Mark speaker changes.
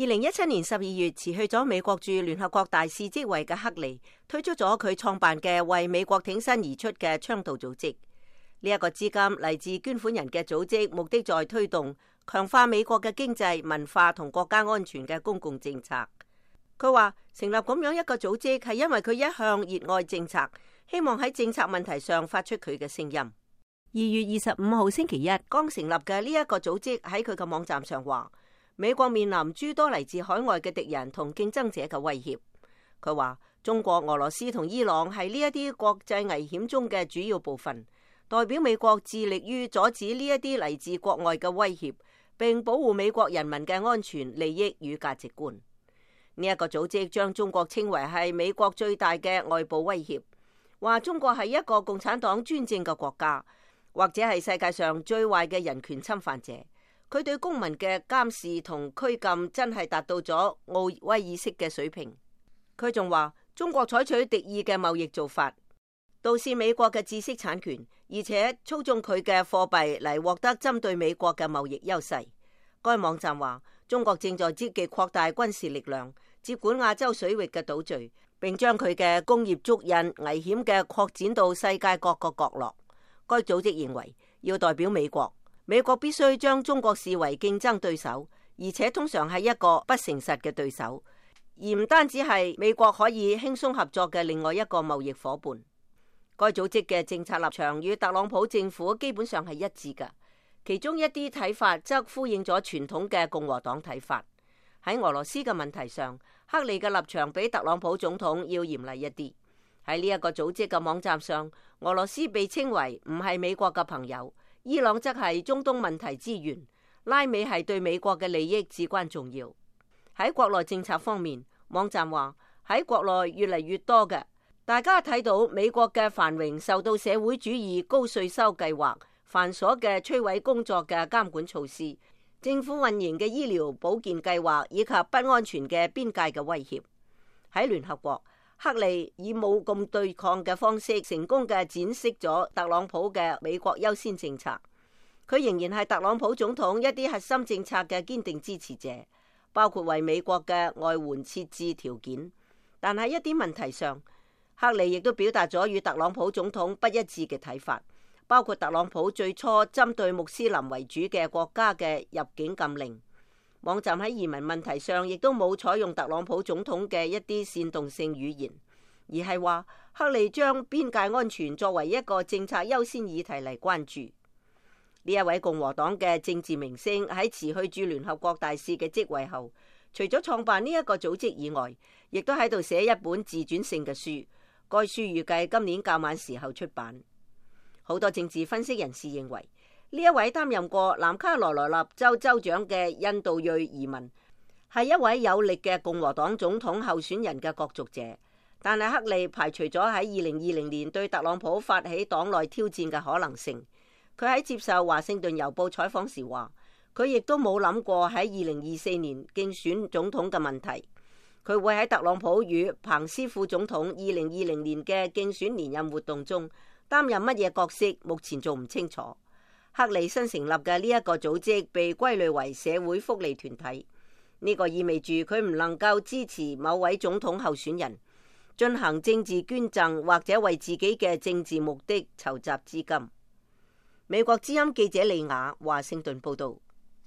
Speaker 1: 2017年12月辭去咗美國駐聯合國大使職位嘅克利，推出咗佢創辦嘅為美國挺身而出嘅倡導組織。呢一個資金嚟自捐款人嘅組織，目的在推動強化美國嘅經濟、文化同國家安全嘅公共政策。佢話成立咁樣一個組織係因為佢一向熱愛政策，希望喺政策問題上發出佢嘅聲音。2月25號星期一剛成立嘅呢一個組織喺佢嘅網站上話，美國面臨諸多嚟自海外嘅敵人同競爭者嘅威脅。佢話中國、俄羅斯同伊朗係呢一啲國際危險中嘅主要部分，代表美國致力於阻止呢一啲嚟自國外嘅威脅，並保護美國人民嘅安全、利益與價值觀。呢一個組織將中國稱為係美國最大嘅外部威脅，話中國係一個共產黨專政嘅國家，或者係世界上最壞嘅人權侵犯者。佢對公民嘅監視同拘禁真係達到咗奧威爾式嘅水平。佢仲話中國採取敵意嘅貿易做法，盜竊美國嘅知識產權，而且操縱佢嘅貨幣嚟獲得針對美國嘅貿易優勢。該網站話中國正在積極擴大軍事力量，接管亞洲水域嘅島嶼，並將佢嘅工業足印危險嘅擴展到世界各個角落。該組織認為要代表美國，美國必須將中國視為競爭對手，而且通常係一個不誠實嘅對手，而唔單止係美國可以輕鬆合作嘅另外一個貿易夥伴。該組織嘅政策立場與特朗普政府基本上係一致嘅，其中一啲睇法則呼應咗傳統嘅共和黨睇法。喺俄羅斯嘅問題上，克利嘅立場比特朗普總統要嚴厲一啲。喺呢一個組織嘅網站上，俄羅斯被稱為唔係美國嘅朋友，伊朗則係中東問題之源，拉美係對美國嘅利益至關重要。喺國內政策方面，網站話喺國內越嚟越多嘅，大家睇到美國嘅繁榮受到社會主義高稅收計劃、繁瑣嘅摧毀工作嘅監管措施、政府運營嘅醫療保健計劃以及不安全嘅邊界嘅威脅。喺聯合國，克利以冇咁對抗嘅方式，成功嘅展示咗特朗普嘅美國優先政策。佢仍然係特朗普總統一啲核心政策嘅堅定支持者，包括為美國嘅外援設置條件。但喺一啲問題上，克利亦都表達咗與特朗普總統不一致嘅睇法，包括特朗普最初針對穆斯林為主嘅國家嘅入境禁令。網站喺移民問題上亦都冇採用特朗普總統嘅一啲煽動性語言，而係話克利將邊界安全作為一個政策優先議題嚟關注。呢一位共和黨嘅政治明星喺辭去駐聯合國大使嘅職位後，除咗創辦呢一個組織以外，亦都喺度寫一本自傳性嘅書。該書預計今年較晚時候出版。好多政治分析人士認為，呢一位擔任過南卡羅來納州州長嘅印度裔移民係一位有力嘅共和黨總統候選人嘅角逐者，但係克利排除咗喺2020年對特朗普發起黨內挑戰嘅可能性。佢喺接受華盛頓郵報採訪時話，佢亦都冇諗過喺2024年競選總統嘅問題。佢會喺特朗普與彭斯副總統2020年嘅競選連任活動中擔任乜嘢角色，目前仲唔清楚。克利新成立嘅呢一個組織被歸類為社會福利團體，呢個意味住佢唔能夠支持某位總統候選人，進行政治捐贈或者為自己嘅政治目的籌集資金。美國之音記者利亞華盛頓報道。